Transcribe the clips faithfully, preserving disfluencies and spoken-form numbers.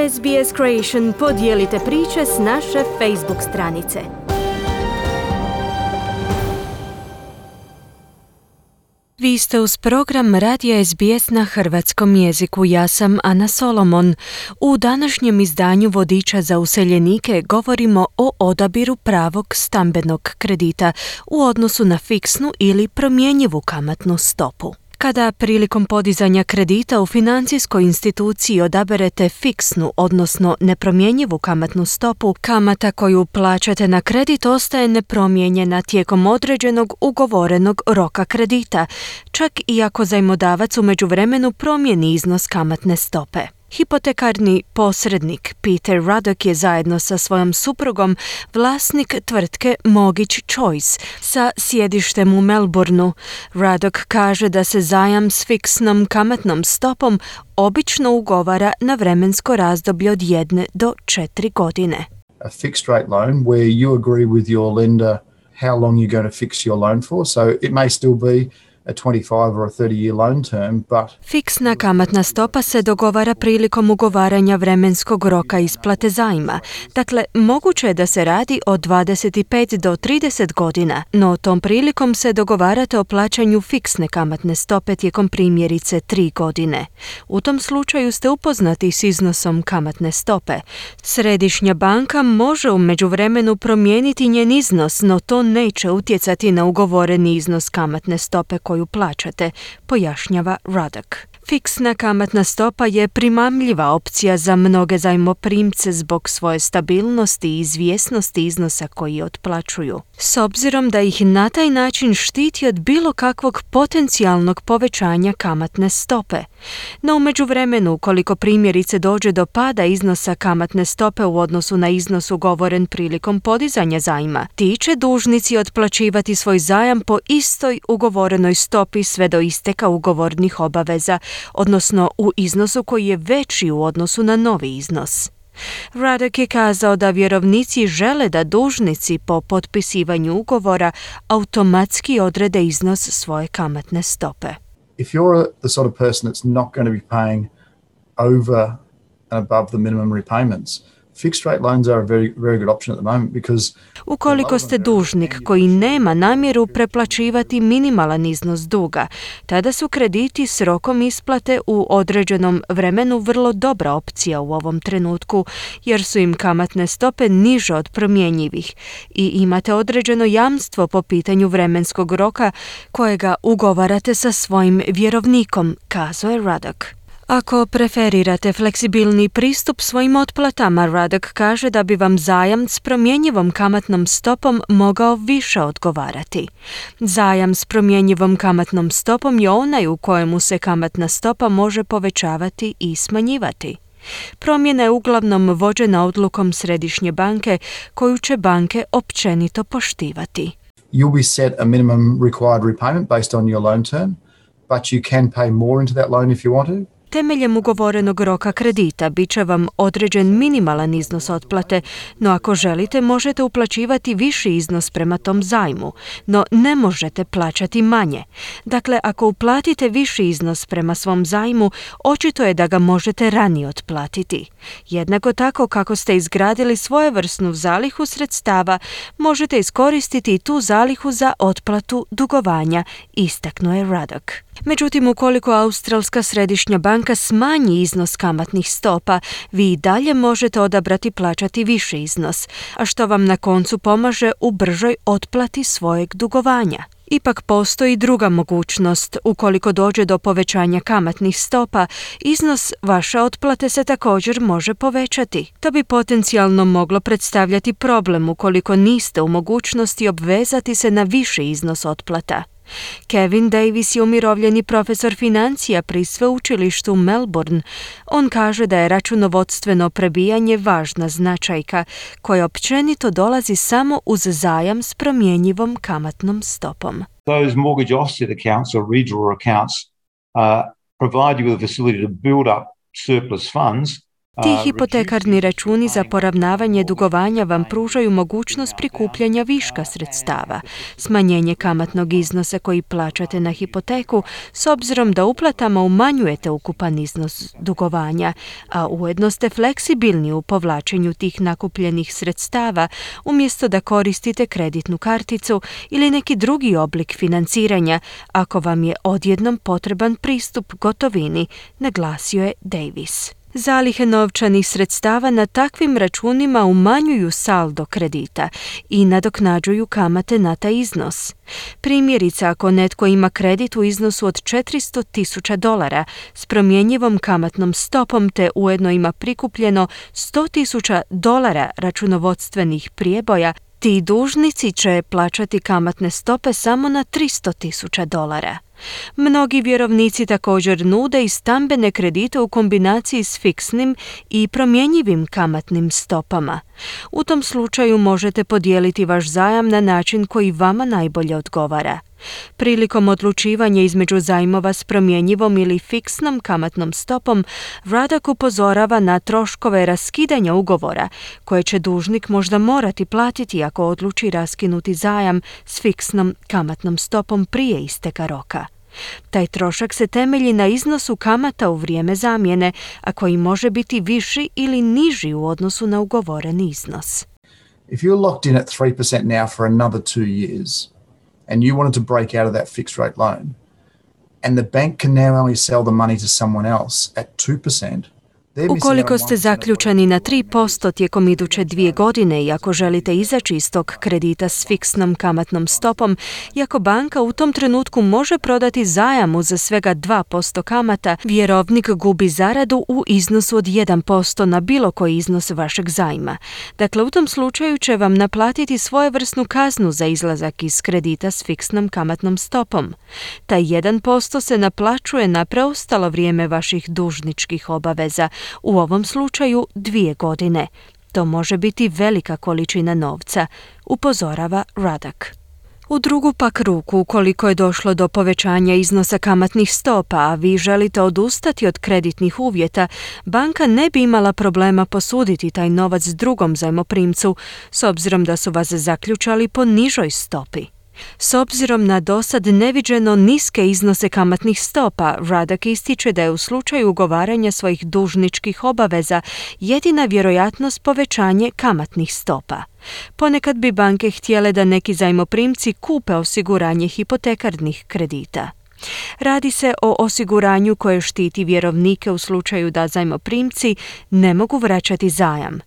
S B S Creation podijelite priče s naše Facebook stranice. Vi ste uz program Radija S B S na hrvatskom jeziku. Ja sam Ana Solomon. U današnjem izdanju vodiča za useljenike govorimo o odabiru pravog stambenog kredita u odnosu na fiksnu ili promjenjivu kamatnu stopu. Kada prilikom podizanja kredita u financijskoj instituciji odaberete fiksnu, odnosno nepromjenjivu kamatnu stopu, kamata koju plaćate na kredit ostaje nepromijenjena tijekom određenog ugovorenog roka kredita, čak i ako zajmodavac u međuvremenu promijeni iznos kamatne stope. Hipotekarni posrednik Peter Ruddock je zajedno sa svojom suprugom vlasnik tvrtke Mortgage Choice sa sjedištem u Melbourneu. Ruddock kaže da se zajam s fiksnom kamatnom stopom obično ugovara na vremensko razdoblje od jedne do četiri godine. A fixed rate loan where you agree with your lender how long you're going to fix your loan for, so it may still be a twenty-five or a thirty year loan term, but fiksna kamatna stopa se dogovara prilikom ugovaranja vremenskog roka isplate zajma. Dakle, moguće je da se radi o dvadeset pet do trideset godina, no tom prilikom se dogovarate o plaćanju fiksne kamatne stope tijekom primjerice tri godine. U tom slučaju ste upoznati s iznosom kamatne stope. Središnja banka može u međuvremenu promijeniti njen iznos, no to neće utjecati na ugovoreni iznos kamatne stope koju plaćate, pojašnjava Ruddock. Fiksna kamatna stopa je primamljiva opcija za mnoge zajmoprimce zbog svoje stabilnosti i izvjesnosti iznosa koji otplaćuju. S obzirom da ih na taj način štiti od bilo kakvog potencijalnog povećanja kamatne stope. No u međuvremenu, ukoliko primjerice dođe do pada iznosa kamatne stope u odnosu na iznos ugovoren prilikom podizanja zajma, ti će dužnici otplaćivati svoj zajam po istoj ugovorenoj stopi sve do isteka ugovornih obaveza, odnosno u iznosu koji je veći u odnosu na novi iznos. Ruddock je kazao da vjerovnici žele da dužnici po potpisivanju ugovora automatski odrede iznos svoje kamatne stope. if you're the sort of person that's not going to be paying over and above the minimum repayments, fixed rate loans are a very, very good option at the moment because ukoliko ste dužnik koji nema namjeru preplaćivati minimalan iznos duga, tada su krediti s rokom isplate u određenom vremenu vrlo dobra opcija u ovom trenutku, jer su im kamatne stope niže od promjenjivih i imate određeno jamstvo po pitanju vremenskog roka kojega ugovarate sa svojim vjerovnikom, kazao je Ruddock. Ako preferirate fleksibilni pristup svojim otplatama, Ruddock kaže da bi vam zajam s promjenjivom kamatnom stopom mogao više odgovarati. Zajam s promjenjivom kamatnom stopom je onaj u kojemu se kamatna stopa može povećavati i smanjivati. Promjena je uglavnom vođena odlukom središnje banke koju će banke općenito poštivati. You'll be set a minimum required repayment based on your loan term, but you can pay more into that loan if you want to. Temeljem ugovorenog roka kredita bit će vam određen minimalan iznos otplate, no ako želite možete uplaćivati viši iznos prema tom zajmu, no ne možete plaćati manje. Dakle, ako uplatite viši iznos prema svom zajmu, očito je da ga možete ranije otplatiti. Jednako tako kako ste izgradili svojevrsnu zalihu sredstava, možete iskoristiti i tu zalihu za otplatu dugovanja, istaknuo je Ruddock. Međutim, ukoliko Australska središnja banka smanji iznos kamatnih stopa, vi i dalje možete odabrati plaćati viši iznos, a što vam na koncu pomaže u bržoj otplati svojeg dugovanja. Ipak postoji druga mogućnost. Ukoliko dođe do povećanja kamatnih stopa, iznos vaše otplate se također može povećati. To bi potencijalno moglo predstavljati problem ukoliko niste u mogućnosti obvezati se na viši iznos otplata. Kevin Davis je umirovljeni profesor financija pri sveučilištu Melbourne. On kaže da je računovodstveno prebijanje važna značajka koja općenito dolazi samo uz zajam s promjenjivom kamatnom stopom. Those mortgage offset accounts or redraw accounts uh, provide you with a facility to build up surplus funds. Ti hipotekarni računi za poravnavanje dugovanja vam pružaju mogućnost prikupljanja viška sredstava, smanjenje kamatnog iznosa koji plaćate na hipoteku s obzirom da uplatama umanjujete ukupan iznos dugovanja, a ujedno ste fleksibilni u povlačenju tih nakupljenih sredstava umjesto da koristite kreditnu karticu ili neki drugi oblik financiranja ako vam je odjednom potreban pristup gotovini, naglasio je Davis. Zalihe novčanih sredstava na takvim računima umanjuju saldo kredita i nadoknađuju kamate na taj iznos. Primjerice, ako netko ima kredit u iznosu od četiristo tisuća dolara s promjenjivom kamatnom stopom te ujedno ima prikupljeno sto tisuća dolara računovodstvenih prijeboja, ti dužnici će plaćati kamatne stope samo na tristo tisuća dolara. Mnogi vjerovnici također nude i stambene kredite u kombinaciji s fiksnim i promjenjivim kamatnim stopama. U tom slučaju možete podijeliti vaš zajam na način koji vama najbolje odgovara. Prilikom odlučivanja između zajmova s promjenjivom ili fiksnom kamatnom stopom, Ruddock upozorava na troškove raskidanja ugovora, koje će dužnik možda morati platiti ako odluči raskinuti zajam s fiksnom kamatnom stopom prije isteka roka. Taj trošak se temelji na iznosu kamata u vrijeme zamjene, a koji može biti viši ili niži u odnosu na ugovoreni iznos. If you're locked in at three percent now for another two years and you wanted to break out of that fixed rate loan and the bank can now only sell the money to someone else at two percent, ukoliko ste zaključani na tri posto tijekom iduće dvije godine i ako želite izaći iz tog kredita s fiksnom kamatnom stopom, i ako banka u tom trenutku može prodati zajam uz svega dva posto kamata, vjerovnik gubi zaradu u iznosu od jedan posto na bilo koji iznos vašeg zajma. Dakle, u tom slučaju će vam naplatiti svojevrsnu kaznu za izlazak iz kredita s fiksnom kamatnom stopom. Taj jedan posto se naplaćuje na preostalo vrijeme vaših dužničkih obaveza, u ovom slučaju dvije godine. To može biti velika količina novca, upozorava Ruddock. U drugu pak ruku, ukoliko je došlo do povećanja iznosa kamatnih stopa, a vi želite odustati od kreditnih uvjeta, banka ne bi imala problema posuditi taj novac drugom zajmoprimcu, s obzirom da su vas zaključali po nižoj stopi. S obzirom na dosad neviđeno niske iznose kamatnih stopa, Ruddock ističe da je u slučaju ugovaranja svojih dužničkih obaveza jedina vjerojatnost povećanje kamatnih stopa. Ponekad bi banke htjele da neki zajmoprimci kupe osiguranje hipotekarnih kredita. Radi se o osiguranju koje štiti vjerovnike u slučaju da zajmoprimci ne mogu vraćati zajam.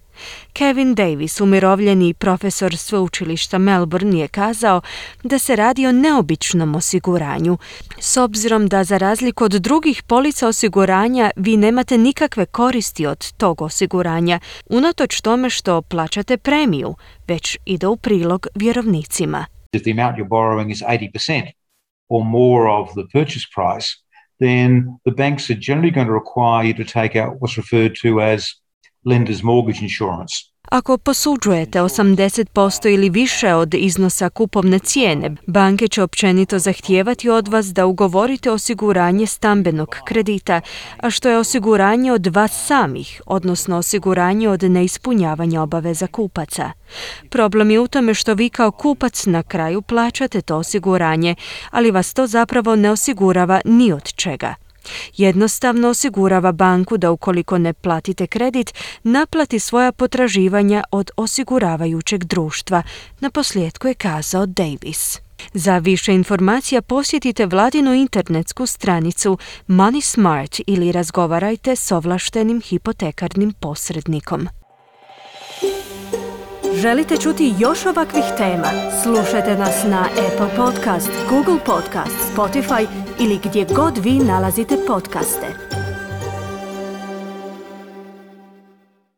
Kevin Davis, umirovljeni profesor sveučilišta Melbourne, je kazao da se radi o neobičnom osiguranju, s obzirom da za razliku od drugih polica osiguranja vi nemate nikakve koristi od tog osiguranja, unatoč tome što plaćate premiju, već ide u prilog vjerovnicima. If the amount you're borrowing is eighty percent or more of the purchase price, then the banks are generally going to require you to take out what's referred to as lender's mortgage insurance. Ako posuđujete osamdeset posto ili više od iznosa kupovne cijene, banke će općenito zahtijevati od vas da ugovorite osiguranje stambenog kredita, a što je osiguranje od vas samih, odnosno osiguranje od neispunjavanja obaveza kupaca. Problem je u tome što vi kao kupac na kraju plaćate to osiguranje, ali vas to zapravo ne osigurava ni od čega. Jednostavno osigurava banku da ukoliko ne platite kredit, naplati svoja potraživanja od osiguravajućeg društva, naposljetku je kazao Davis. Za više informacija posjetite vladinu internetsku stranicu Money Smart ili razgovarajte s ovlaštenim hipotekarnim posrednikom. Želite čuti još ovakvih tema? Slušajte nas na Apple Podcast, Google Podcast, Spotify ili gdje god vi nalazite podcaste.